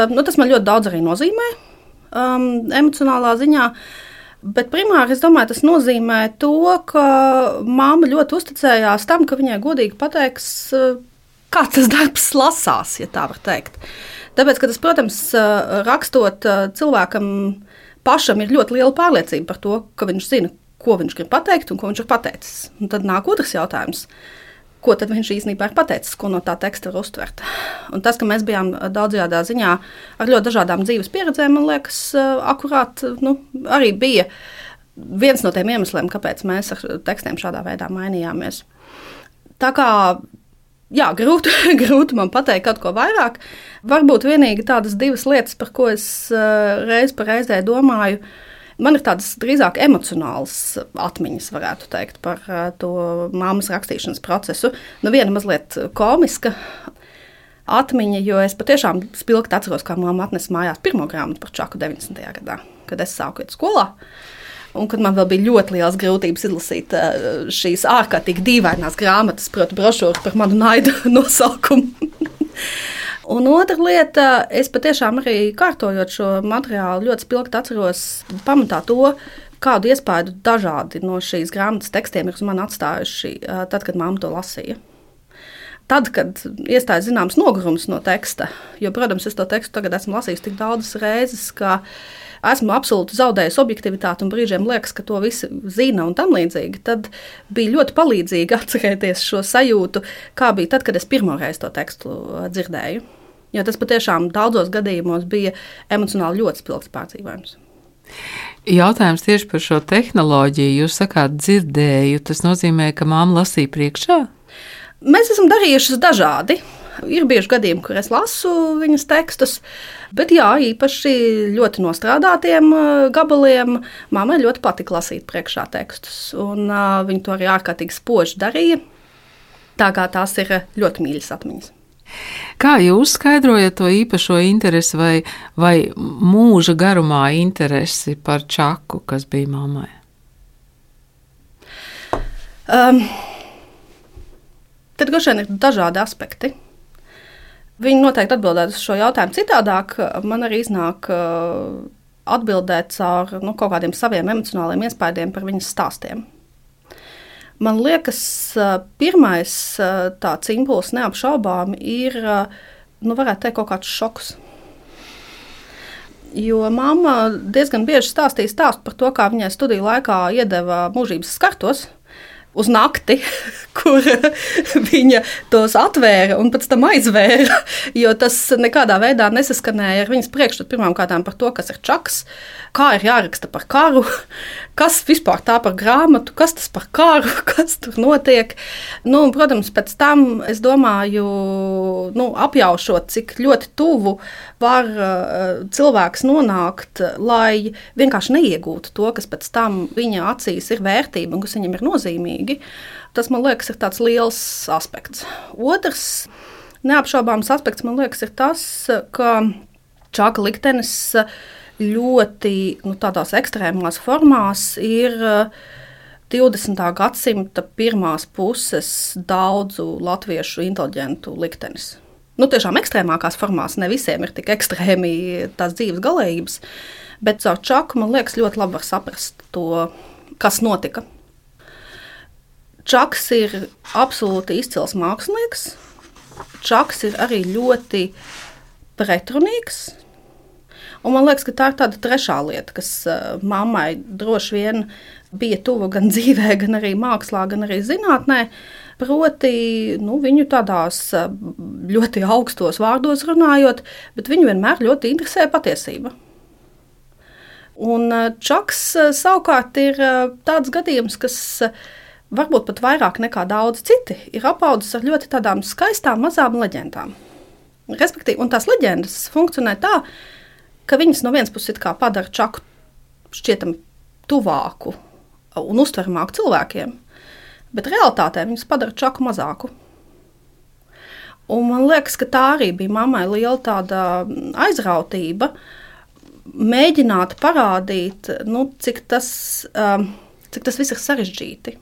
nu, tas man ļoti daudz arī nozīmē um, emocionālā ziņā, bet primāri es domāju, tas nozīmē to, ka māma ļoti uzticējās tam, ka viņai godīgi pateiks, kā tas darbs lasās, ja tā var teikt. Tāpēc, ka tas, protams, rakstot cilvēkam pašam ir ļoti liela pārliecība par to, ka viņš zina, ko viņš grib pateikt un ko viņš ir pateicis. Un tad nāk otrs jautājums. Ko tad viņš īstenībā ir pateicis, ko no tā teksta var uztvert. Un tas, ka mēs bijām daudzajādā ziņā ar ļoti dažādām dzīves pieredzēm, man liekas, akurāt, nu, arī bija viens no tiem iemesliem, kāpēc mēs ar tekstiem šādā veidā mainījāmies. Tā kā, jā, grūti, grūti man pateikt kaut ko vairāk. Varbūt vienīgi tādas divas lietas, par ko es reiz pa reizē domāju. Man ir tādas drīzāk emocionālas atmiņas, varētu teikt, par to māmas rakstīšanas procesu. Nu, viena mazliet komiska atmiņa, jo es patiešām spilgti atceros, kā mamma atnesa mājās pirmo grāmatu par Čaku deviņdesmitajā gadā, kad es sāku iet skolā. Un kad man vēl bija ļoti liels grūtības izlasīt šīs ārkārtīgi dīvainās grāmatas, proti brošūru par manu naidu nosaukumu. Un otra lieta, es patiešām arī kārtojot šo materiālu ļoti spilgti atceros pamatā to, kādu iespaidu dažādi no šīs grāmatas tekstiem ir uz mani atstājuši tad, kad mamma to lasīja. Tad, kad iestājas zināms nogurums no teksta, jo, protams, es to tekstu tagad esmu lasījis tik daudzas reizes, ka esmu absolūti zaudējusi objektivitāti un brīžiem liekas, ka to visi zina un tam līdzīgi, tad bija ļoti palīdzīgi atcerēties šo sajūtu, kā bija tad, kad es pirmoreiz to tekstu dzirdēju. Jo tas patiešām daudzos gadījumos bija emocionāli ļoti spilgts pārdzīvojums. Jautājums tieši par šo tehnoloģiju. Jūs sakāt dzirdēju, tas nozīmē, ka māma lasīja priekšā? Mēs esam darījušas dažādi. Ir bieži gadījumi, kur es lasu viņas tekstus, bet jā, īpaši ļoti nostrādātiem gabaliem mammai ļoti patika lasīt priekšā tekstus, un uh, viņa to arī ārkārtīgi spoži darīja, tā kā tās ir ļoti mīļas atmiņas. Kā jūs skaidrojat to īpašo interesi vai, vai mūža garumā interesi par Čaku, kas bija mammai? Um, tad droši vien ir dažādi aspekti. Viņi noteikti atbildētu uz šo jautājumu citādāk. Man arī iznāk atbildēt caur nu, kaut kādiem saviem emocionāliem iespaidiem par viņas stāstiem. Man liekas, pirmais tāds impulss neapšaubāmi ir, nu, varētu teikt, kaut kāds šoks. Jo mamma diezgan bieži stāstīja stāstu par to, kā viņai studiju laikā iedeva mūžības skartos uz nakti, kur viņa tos atvēra un pēc tam aizvēra, jo tas nekādā veidā nesaskanēja ar viņas priekšstatu pirmām kārtām par to, kas ir čaks, kā ir jāraksta par karu, kas vispār tā par grāmatu, kas tas par karu, kas tur notiek. Nu, protams, pēc tam, es domāju, nu, apjaušot, cik ļoti tuvu var uh, cilvēks nonākt, lai vienkārši neiegūtu to, kas pēc tam viņa acīs ir vērtība un kas viņam ir nozīmīgi. Tas, man liekas, ir tāds liels aspekts. Otrs neapšaubāms aspekts, man liekas, ir tas, ka Čaka liktenis ļoti nu, tādās ekstrēmās formās ir divdesmitā gadsimta pirmās puses daudzu latviešu inteliģentu liktenis. Nu, tiešām ekstrēmākās formās, ne visiem ir tik ekstrēmi tās dzīves galējības, bet caur Čaku, man liekas, ļoti labi var saprast to, kas notika. Čaks ir absolūti izcils mākslinieks. Čaks ir arī ļoti pretrunīgs. Un man liekas, ka tā ir tāda trešā lieta, kas mammai droši vien bija tuva gan dzīvē, gan arī mākslā, gan arī zinātnē. Proti, nu, viņu tādās ļoti augstos vārdos runājot, bet viņu vienmēr ļoti interesē patiesība. Un Čaks savukārt ir tāds gadījums, kas varbūt pat vairāk nekā daudz citi, ir apaudzis ar ļoti tādām skaistām mazām leģendām. Respektīvi, un tās leģendas funkcionē tā, ka viņas no vienas puses kā padara Čaku šķietam tuvāku un uztveramāku cilvēkiem, bet realitātē viņas padara Čaku mazāku. Un man liekas, ka tā arī bija mammai liela tāda aizrautība, mēģināt parādīt, nu, cik tas, cik tas viss ir sarežģīti.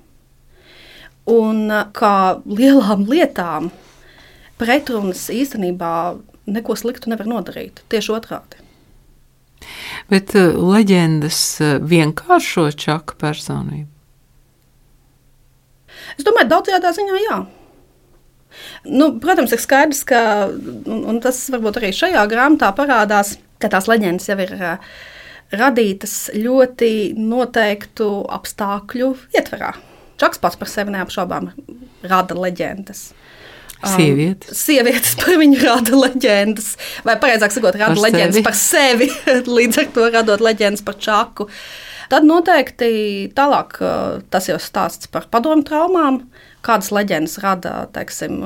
Un kā lielām lietām pretrunas īstenībā neko sliktu nevar nodarīt, tieši otrādi. Bet uh, leģendas uh, vienkāršo Čaka personību? Es domāju, daudzajādā ziņā jā. Nu, protams, ir skaidrs, ka, un, un tas varbūt arī šajā grāmatā parādās, ka tās leģendas jau ir uh, radītas ļoti noteiktu apstākļu ietverā. Čaks pats par sevi neapšaubām rada leģendas. Sievietes. Um, sievietes par viņu rada leģendas, vai pareizāk sakot, rada par leģendas sevi. par sevi, līdz ar to radot leģendas par Čaku. Tad noteikti tālāk tas jau stāsts par padomju traumām, kādas leģendas rada, teiksim,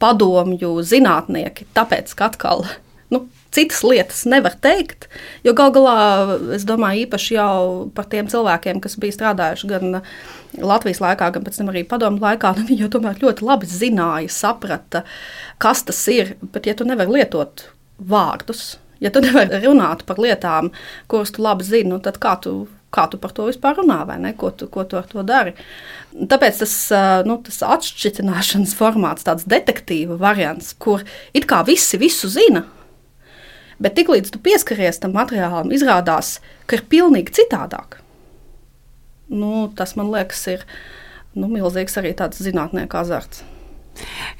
padomju zinātnieki, tāpēc, ka atkal, nu, citas lietas nevar teikt, jo gal galā, es domāju, īpaši jau par tiem cilvēkiem, kas bija strādājuši gan Latvijas laikā, gan pēc tam arī padomju laikā, nu, viņi jau tomēr ļoti labi zināja, saprata, kas tas ir, bet ja tu nevar lietot vārdus, ja tu nevar runāt par lietām, kuras tu labi zini, nu, tad kā tu, kā tu par to vispār runā, vai ne, ko tu, ko tu ar to dari. Tāpēc tas, nu, tas atšķitināšanas formāts, tāds detektīva variants, kur it kā visi visu zina, bet tiklīdz tu pieskaries tam materiālam, izrādās, ka ir pilnīgi citādāk. Nu, tas, man liekas, ir nu, milzīgs arī tāds zinātnieku azarts.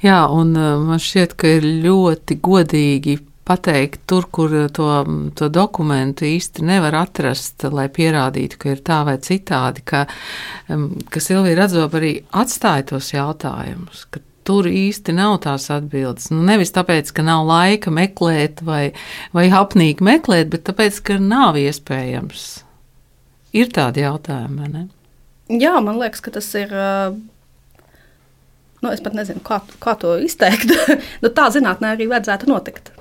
Jā, un man šķiet, ka ir ļoti godīgi pateikt tur, kur to, to dokumentu īsti nevar atrast, lai pierādītu, ka ir tā vai citādi, ka, ka Silvija Radzoba arī atstāja tos jautājumus, ka tur īsti nav tās atbildes. Nu, nevis tāpēc, ka nav laika meklēt vai, vai apnīgi meklēt, bet tāpēc, ka nav iespējams. Ir tādi jautājumi, vai ne? Jā, man liekas, ka tas ir, nu, es pat nezinu, kā, kā to izteikt. Nu, tā zinātnē arī vajadzētu notikt.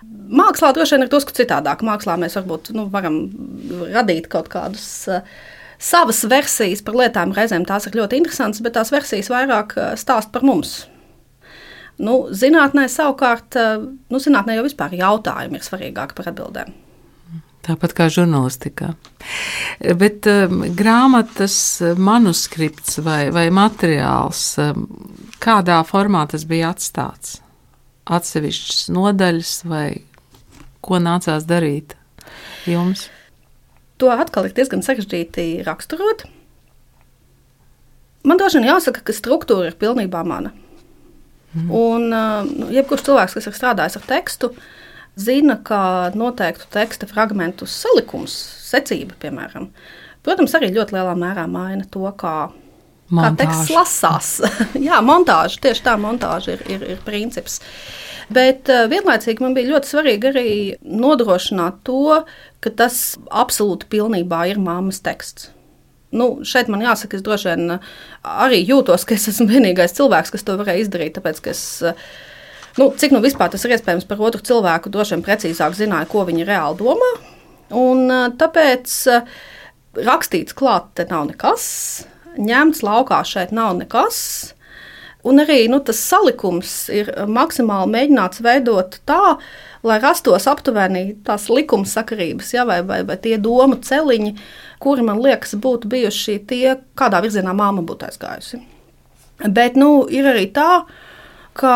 Mākslā droši vien ir drusku citādāk. Mākslā mēs varbūt nu, varam radīt kaut kādus uh, savas versijas par lietām. Reizēm tās ir ļoti interesantas, bet tās versijas vairāk stāst par mums. Nu, zinātnē savukārt, nu, zinātnē jau vispār jautājumi ir svarīgāki par atbildēm. Tāpat kā žurnālistikā. Bet um, grāmatas manuskripts vai, vai materiāls, um, kādā formā tas bija atstāts? Atsevišķas nodaļas vai ko nācās darīt jums? to atkal ir diezgan sarežģīti raksturot. Man droši vien jāsaka, ka struktūra ir pilnībā mana. Mm. Un uh, jebkurš cilvēks, kas ir strādājis ar tekstu, zina, ka noteiktu teksta fragmentu salikums, secība, piemēram, protams, arī ļoti lielā mērā maina to, kā, kā teksts lasās. Jā, montāža, tieši tā montāža ir, ir, ir princips. Bet uh, vienlaicīgi man bija ļoti svarīgi arī nodrošināt to, ka tas absolūti pilnībā ir mammas teksts. Nu, šeit man jāsaka, es droši vien arī jūtos, ka es esmu vienīgais cilvēks, kas to varēja izdarīt, tāpēc, ka es, nu, cik nu vispār tas ir iespējams par otru cilvēku, droši vien precīzāk zināju, ko viņi reāli domā. Un tāpēc rakstīts klāt te nav nekas, ņemts laukā šeit nav nekas. Un arī nu, tas salikums ir maksimāli mēģināts veidot tā, lai rastos aptuveni tās likumsakarības, ja, vai, vai, vai tie domu celiņi, kuri, man liekas, būtu bijuši tie, kādā virzienā māma būtu aizgājusi. Bet nu, ir arī tā, ka,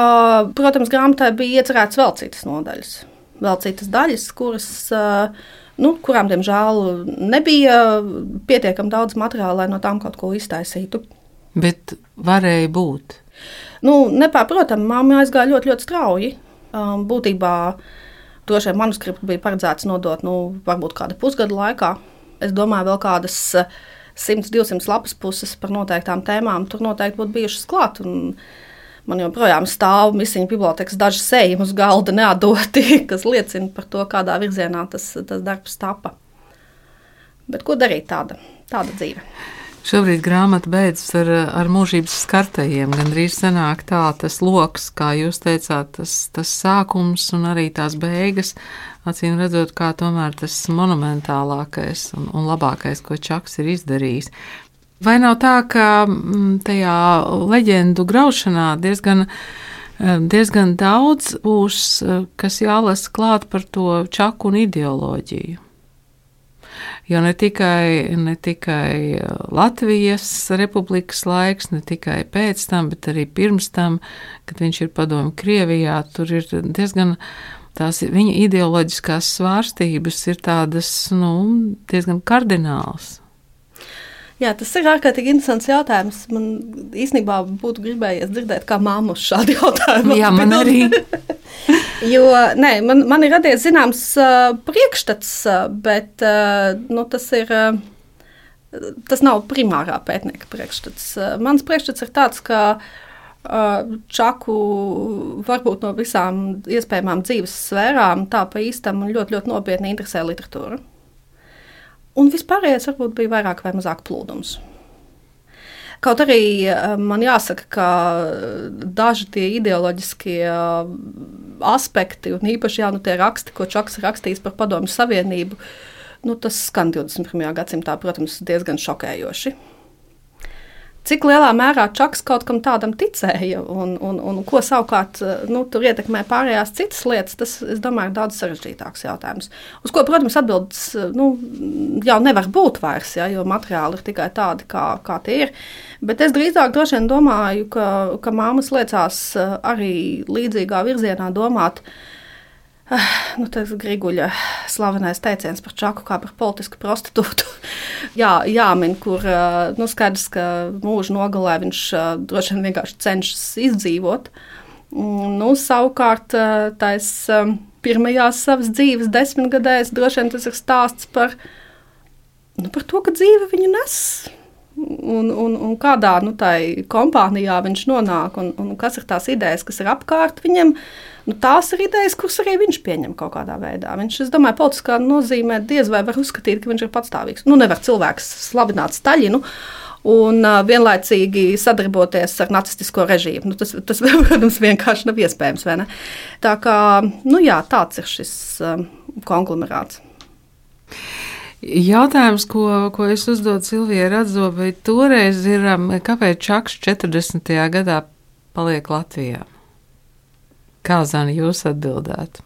protams, grāmatai bija iecerēts vēl citas nodaļas, vēl citas daļas, kuras, nu, kurām, diemžēl, nebija pietiekami daudz materiāla, lai no tām kaut ko iztaisītu. Bet varēja būt? Nu, nepārprotami, mamma aizgāja ļoti, ļoti strauji. Um, būtībā droši vien manuskriptu bija paredzēts nodot, nu, varbūt kāda pusgada laikā. Es domāju, vēl kādas simt divsimt lapas puses par noteiktām tēmām tur noteikti būtu bijušas klāt. Un man joprojām stāv Misiņu bibliotekas daži sējumi uz galda neatdoti, kas liecina par to, kādā virzienā tas, tas darbs tapa. Bet ko darīt tāda, tāda dzīve? Šobrīd grāmata beidzas ar, ar mūžības skartajiem. Gandrīz sanāk tā, tas loks, kā jūs teicāt, tas, tas sākums un arī tās beigas, acīm redzot, kā tomēr tas monumentālākais un, un labākais, ko Čaks ir izdarījis. Vai nav tā, ka tajā leģendu graušanā diezgan, diezgan daudz būs, kas jālasa klāt par to Čaku un ideoloģiju? Jo ne tikai, ne tikai Latvijas republikas laiks, ne tikai pēc tam, bet arī pirms tam, kad viņš ir padomju Krievijā, tur ir diezgan tās viņa ideoloģiskās svārstības ir tādas, nu, diezgan kardināls. Jā, tas ir ārkārtīgi interesants jautājums. Man īstenībā būtu gribējies dzirdēt, kā māma uz šādu jautājumu. Jā, man arī. Jo, nē, man, man ir radies zināms uh, priekšstats, uh, bet uh, nu, tas ir, uh, tas nav primārā pētnieka priekšstats. Uh, mans priekšstats ir tāds, ka uh, Čaku varbūt no visām iespējamām dzīves sfērām tā pa īstam un ļoti, ļoti nopietni interesē literatūra. Un vispārējais varbūt bija vairāk vai mazāk plūdums. Kaut arī man jāsaka, ka daži tie ideoloģiskie aspekti, un īpaši jā, nu, tie raksti, ko Čaks rakstījis par Padomju Savienību, nu, tas skan divdesmit pirmajā gadsimtā, protams, diezgan šokējoši. Cik lielā mērā Čaks kaut kam tādam ticēja un, un, un ko savukārt nu, tur ietekmē pārējās citas lietas, tas, es domāju, ir daudz sarežģītāks jautājums. Uz ko, protams, atbildes nu, jau nevar būt vairs, ja, jo materiāli ir tikai tādi, kā, kā tie ir. Bet es drīzāk droši vien domāju, ka, ka māmas liecās arī līdzīgā virzienā domāt, nu, tas Griguļa slavenais teiciens par Čaku kā par politisku prostitūtu. Jā, jāmin, kur nu, skaidrs, ka mūža nogalē viņš droši vien vienkārši cenšas izdzīvot. Nu, savukārt tais pirmajās savas dzīves desmitgadēs droši vien tas ir stāsts par, nu, par to, ka dzīve viņu nes. Un, un, un kādā nu, tai kompānijā viņš nonāk un, un kas ir tās idejas, kas ir apkārt viņam. Nu, tās ir idejas, kuras arī viņš pieņem kaut kādā veidā. Viņš, es domāju, politiskā nozīmē diez vai var uzskatīt, ka viņš ir patstāvīgs. Nu, nevar cilvēks slavināt Staļinu un uh, vienlaicīgi sadarboties ar nacistisko režīmu. Nu, tas, tas, protams, vienkārši nav iespējams, vai ne? Tā kā, nu jā, tāds ir šis um, konglomerāts. Jautājums, ko, ko es uzdodu Silvijai Radzobai, toreiz ir, kāpēc Čaks četrdesmitajā gadā paliek Latvijā? Kā, Zani, jūs atbildētu?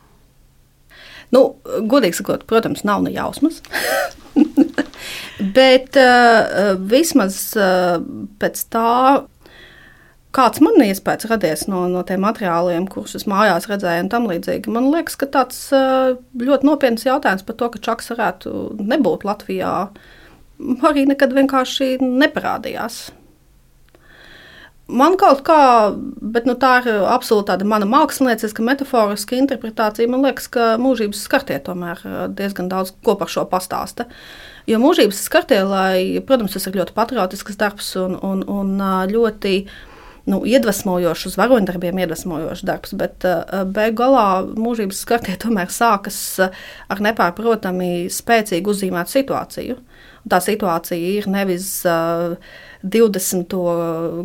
Nu, godīgi sakot, protams, nav ne jausmas. Bet uh, vismaz uh, pēc tā, kāds man iespējas radies no, no tiem materiāliem, kurus es mājās redzēju un tam līdzīgi. Man liekas, ka tāds ļoti nopietns jautājums par to, ka Čaks varētu nebūt Latvijā, arī nekad vienkārši neparādījās. Man kaut kā, bet nu, tā ir absolūti tāda mana mākslinieciska, metaforiska interpretācija. Man liekas, ka mūžības skartie tomēr diezgan daudz ko par šo pastāsta. Jo mūžības skartie, lai, protams, tas ir ļoti patriotisks darbs un, un, un ļoti nu, iedvesmojošs, uz varoņdarbiem iedvesmojošs darbs, bet beigu galā mūžības skartie tomēr sākas ar nepārprotami spēcīgi uzzīmētu situāciju. Un tā situācija ir nevis uh, divdesmito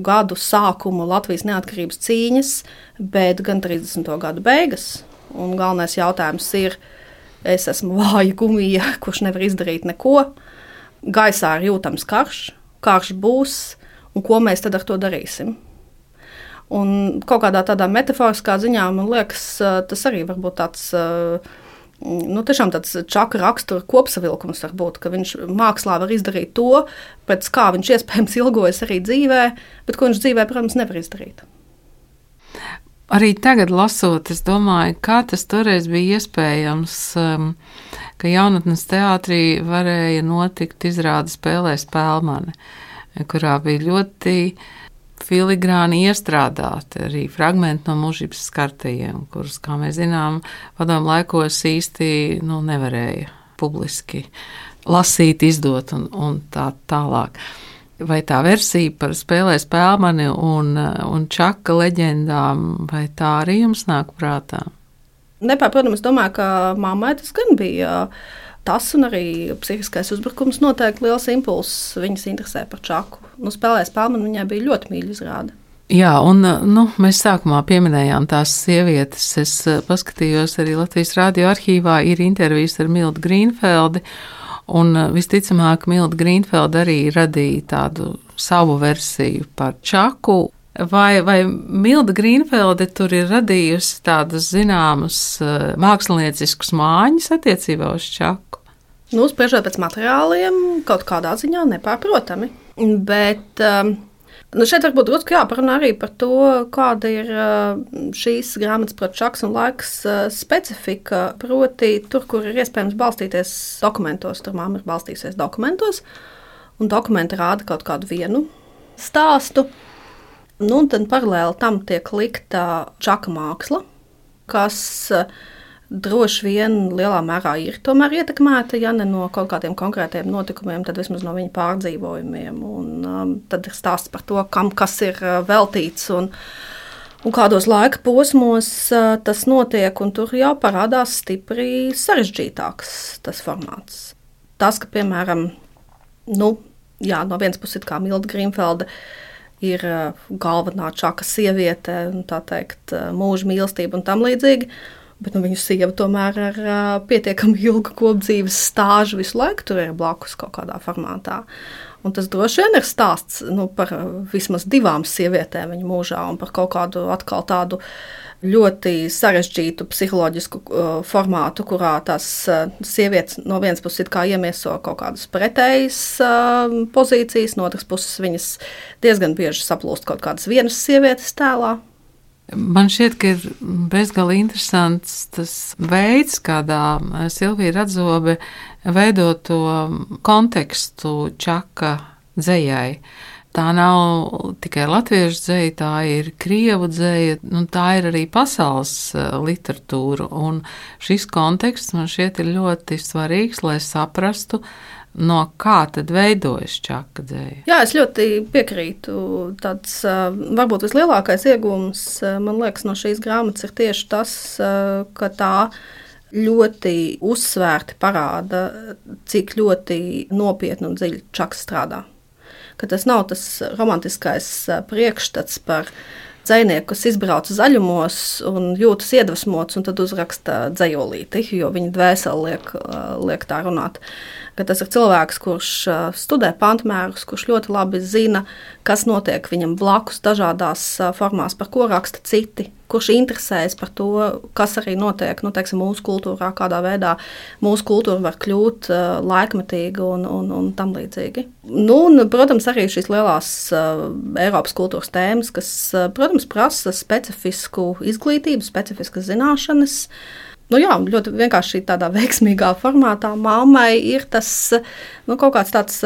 gadu sākuma Latvijas neatkarības cīņas, bet gan trīsdesmito gadu beigas. Un galvenais jautājums ir, es esmu vāja gumija, kurš nevar izdarīt neko. Gaisā ir jūtams karš, karš būs, un ko mēs tad ar to darīsim? Un kaut kādā tādā metaforiskā ziņā, man liekas, tas arī varbūt tāds, nu, tiešām tāds Čaka rakstura kopsavilkums var būt, ka viņš mākslā var izdarīt to, pēc kā viņš iespējams ilgojas arī dzīvē, bet ko viņš dzīvē, protams, nevar izdarīt. Arī tagad lasot, es domāju, kā tas toreiz bija iespējams, ka jaunatnes teātrī varēja notikt izrāde Spēlē Spēlmane, kurā bija ļoti filigrāni iestrādāti arī fragmenti no mūžības skartajiem, kurus, kā mēs zinām, padomu laikos īsti nu, nevarēja publiski lasīt, izdot un, un tā tālāk. Vai tā versija par Spēlē Spēlmani un, un Čaka leģendām, vai tā arī jums nāk prātā? Nepārprotams, es domāju, ka mammai tas gan bija tas, un arī psihiskais uzbrukums noteikti liels impulss viņas interesē par Čaku. Nu, Spēlē Spēlmani viņai bija ļoti mīļa izrāde. Jā, un nu, mēs sākumā pieminējām tās sievietes. Es paskatījos arī Latvijas radio arhīvā, ir intervijas ar Mildu Grīnfeldi, un visticamāk Milda Grīnfelda arī radīja tādu savu versiju par Čaku. Vai, vai Milda Grīnfelde tur ir radījusi tādus zināmus mākslinieciskus māņus attiecībā uz Čaku? Nu, spriežot pēc materiāliem, kaut kādā ziņā nepārprotami. Bet nu šeit varbūt drusku jāparunā arī par to, kāda ir šīs grāmatas par Čaks un laiks specifika. Proti, tur, kur ir iespējams balstīties dokumentos, tur māma ir balstīsies dokumentos, un dokumenti rāda kaut kādu vienu stāstu. Nu, un tad paralēli tam tiek likta Čaka māksla, kas droši vien lielā mērā ir tomēr ietekmēta, ja ne no kaut kādiem konkrētiem notikumiem, tad vismaz no viņa pārdzīvojumiem. Un um, tad ir stāsts par to, kam kas ir uh, veltīts un, un kādos laika posmos uh, tas notiek, un tur jau parādās stipri sarežģītāks tas formāts. Tas, ka, piemēram, nu, jā, no vienas puses kā Milda Grīnfelde ir uh, galvenā Čaka sieviete, un tā teikt, uh, mūža mīlestība un tam līdzīgi, bet nu, viņu sieva tomēr ar uh, pietiekami ilgu kopdzīves stāžu visu laiku tur ir blakus kaut kādā formātā. Un tas droši vien ir stāsts nu, par vismaz divām sievietēm viņa mūžā un par kaut kādu atkal tādu ļoti sarežģītu psiholoģisku uh, formātu, kurā tās uh, sievietes no vienas puses it kā iemieso kaut kādas pretējas uh, pozīcijas, no otras puses viņas diezgan bieži saplūst kaut kādas vienas sievietes tēlā. Man šķiet, ka ir bezgalīgi interesants tas veids, kādā Silvija Radzobe veido to kontekstu Čaka dzejai. Tā nav tikai latviešu dzeja, tā ir krievu dzeja, un tā ir arī pasaules literatūra. Un šis konteksts man šķiet ir ļoti svarīgs, lai saprastu, no kā tad veidojas Čaka dzeja. Jā, es ļoti piekrītu. Tāds varbūt vislielākais iegūms, man liekas, no šīs grāmatas ir tieši tas, ka tā ļoti uzsvērti parāda, cik ļoti nopietni un dziļi Čaks strādā. Ka tas nav tas romantiskais priekšstats par dzejnieku, kas izbrauca zaļumos un jūtas iedvesmots un tad uzraksta dzejolīti, jo viņa dvēseli liek, liek tā runāt. Ka tas ir cilvēks, kurš studē pantmērus, kurš ļoti labi zina, kas notiek viņam blakus dažādās formās, par ko raksta citi, kurš interesējas par to, kas arī notiek nu, teiksim, mūsu kultūrā, kādā veidā mūsu kultūra var kļūt uh, laikmetīga un, un, un tam līdzīgi. Nu, un, protams, arī šīs lielās uh, Eiropas kultūras tēmas, kas, uh, protams, prasa specifisku izglītību, specifiskas zināšanas. Nu jā, ļoti vienkārši tādā veiksmīgā formātā mammai ir tas nu, kaut kāds tāds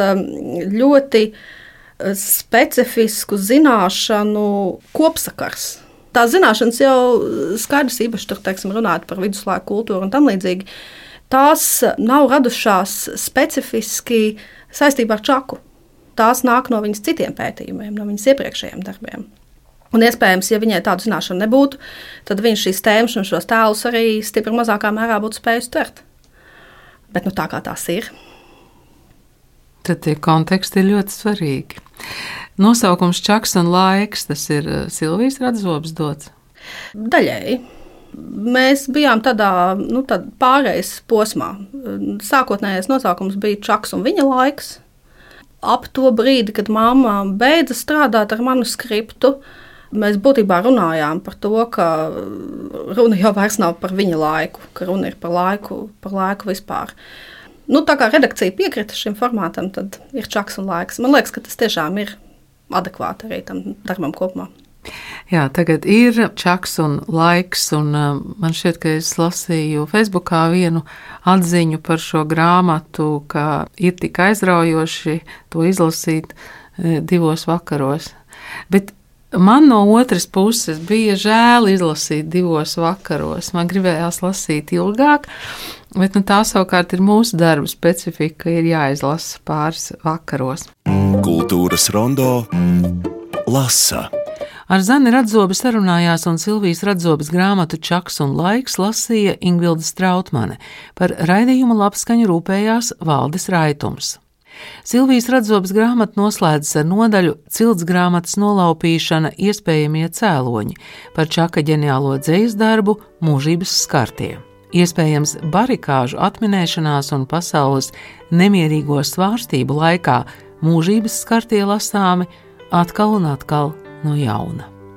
ļoti specifisku zināšanu kopsakars. Tās zināšanas jau skaidrs īpaši tur, teiksim, runāt par viduslaiku kultūru un tam līdzīgi. Tās nav radušās specifiski saistībā ar čaku. Tās nāk no viņas citiem pētījumiem, no viņas iepriekšējiem darbiem. Un iespējams, ja viņai tādu zināšanu nebūtu, tad viņš šīs tēmas un šos tēlus arī stipri mazākā mērā būtu spējis tvert. Bet nu tā kā tās ir. Tad tie konteksti ir ļoti svarīgi. Nosaukums Čaks un laiks, tas ir Silvijas Radzobes dots? Daļēji. Mēs bijām tādā nu, pārejas posmā. Sākotnējais nosaukums bija Čaks un viņa laiks. Ap to brīdi, kad mamma beidza strādāt ar manuskriptu, mēs būtībā runājām par to, ka runa jau vairs nav par viņa laiku, ka runa ir par laiku, par laiku vispār. Nu, tā kā redakcija piekrita šim formātam, tad ir Čaks un laiks. Man liekas, ka tas tiešām ir adekvāti arī tam darbam kopumā. Jā, tagad ir Čaks un laiks, un man šķiet, ka es lasīju Facebookā vienu atziņu par šo grāmatu, ka ir tik aizraujoši to izlasīt divos vakaros. Bet man no otras puses bija žēl izlasīt divos vakaros. Man gribējās lasīt ilgāk, bet nu, tā savukārt ir mūsu darba specifika, ir jāizlasa pāris vakaros. Kultūras rondo lasa. Ar Zani Radzobi sarunājās un Silvijas Radzobes grāmatu Čaks un laiks lasīja Ingvilde Strautmane. Par raidījuma labskaņu rūpējās Valdis Raitums. Silvijas Radzobes grāmata noslēdzas ar nodaļu Cilts grāmatas nolaupīšana iespējamie cēloņi par Čaka ģeniālo dzejas darbu Mūžības skartie. Iespējams, barikāžu atminēšanās un pasaules nemierīgo svārstību laikā mūžības skartie lasāmi atkal un atkal no jauna.